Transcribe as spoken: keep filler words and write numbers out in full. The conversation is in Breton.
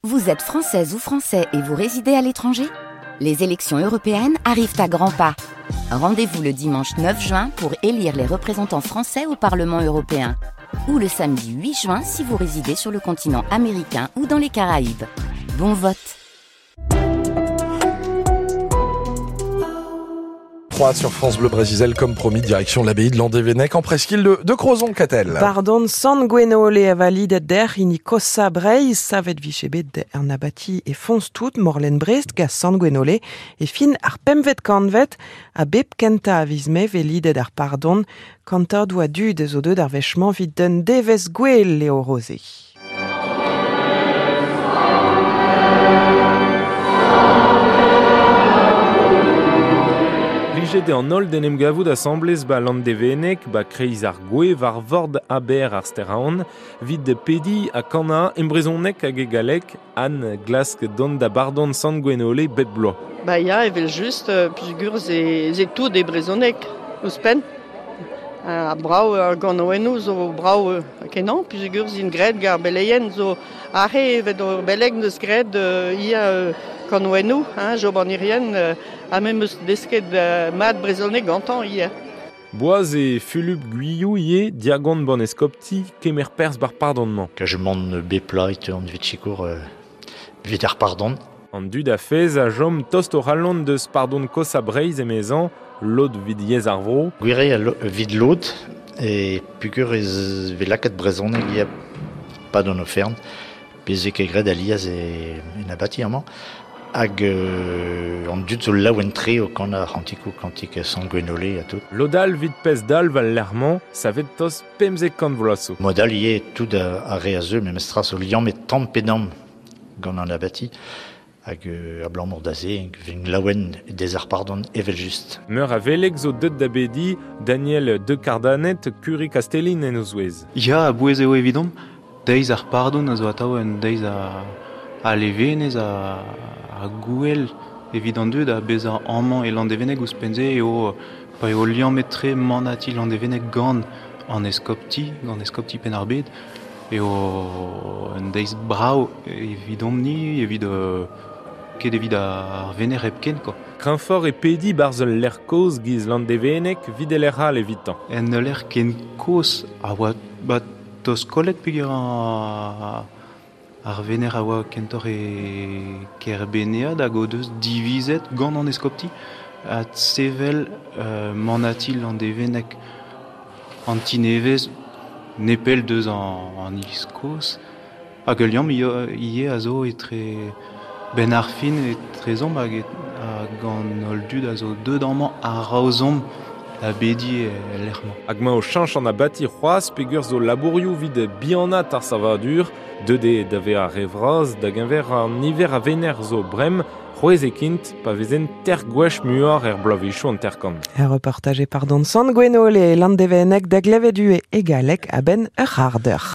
Vous êtes française ou français et vous résidez à l'étranger ? Les élections européennes arrivent à grands pas. Rendez-vous le dimanche neuf juin pour élire les représentants français au Parlement européen. Ou le samedi huit juin si vous résidez sur le continent américain ou dans les Caraïbes. Bon vote. trois sur France Bleu Brésil, comme promis, direction l'abbaye de Landévennec en presqu'île de, de Crozon, Catel. Pardon, Sant Gwenole a valide der ini kosa breiz, savet vichebet er abati e fons tout morlen Brest ga Sant Gwenole e fin ar pemvet kanvet a bep kenta a vizme velidet ar pardon kanta doa dud zo deud ar vechman vid den devez gwel leo rosé. Plijet an holl d'en em gavout asamblez ba Landévennec, ba kreiz ar gwe war vord aber ar steraon, vid de pedi a kana embrezonnek hag e galek an glask don da bardon Sant Gwenole bep bloaz. Ba ya, evel just, pugur ze, ze tout e brezonek, ouzhpenn. A brao ar ganoennoù zo brao kenan, pugur zin graet gar beleien zo arre evet ur beleg neus graet ia kanoennoù, hein, job an irien, ha mem eus desket mat brezonek gantañ ia. Boaz e Fulup Guyou ie diagon bon eskopti kemer perz bar pardonnement. Kajemant bepla et an vit chikour vit ar pardon. An dud a fez a jom tost o rallon deus pardon kos a breiz emezan, lod vid yez ar vro. Gwire a lo, vid lod e pugur ez velaket brezonek ia pa don ofern, pezek e gred aliaz e en abati amañ. Hag euh, an dud zo laouen tre o kan ar c'hantikou kantik Sant Gwenole a tout. Lodal vid pez dal val lerman, savet tos pemzek kant vloazo. Modal ie tout a, a re a zeu, memes tra zo liamm et tamm pedam gant an abati. Hag euh, a blanc da ze, vin laouen des ar pardon evel just. Meur a velek zo deut da bedi, Daniel de Cardanet, Curie Castellin en o zouez. Ya, a bouez eo evidom, deiz ar pardon a zo atao en deiz a, a levenez a, a gouel evit an dud a bezañ amañ e Landévennec ouzhpenn-se eo pa eo liammet-tre manati Landévennec gant an eskopti, gant eskopti Penn-ar-Bed, eo un deiz brav evidomp-ni, evit euh, ket evit ar vener hepken, quoi. Kreñfort e pedi barzh ul lec'h kozh giz Landévennec vid e lec'h all evitañ. En ul lec'h ken kozh a oa ba tost kollet peogwir ar ar vener a oa kentoc'h e Kerbenead hag o deus divizet gant an eskopti a sevel euh, manati Landévennec an tinevez nepell deus an, an iliz kozh. Hag ul liamm ivez a zo etre ben ar fin etrezomp hag hag an holl dud a zo deut amañ a-raozomp da bedi e lec'h-mañ. Hag ma o cheñch an abati c'hoazh peogwir zo labourioù vid bihanat ar savadur, deut eo da vezañ ar re vras da geñver an niver a vener zo brem, c'hwezh e kint pa vezen ter gwech muioc'h er bloavezhioù an terkant. Un reportage pardon Sant Gwenole e Landévennec da glevet e galek a-benn ur c'hardeur.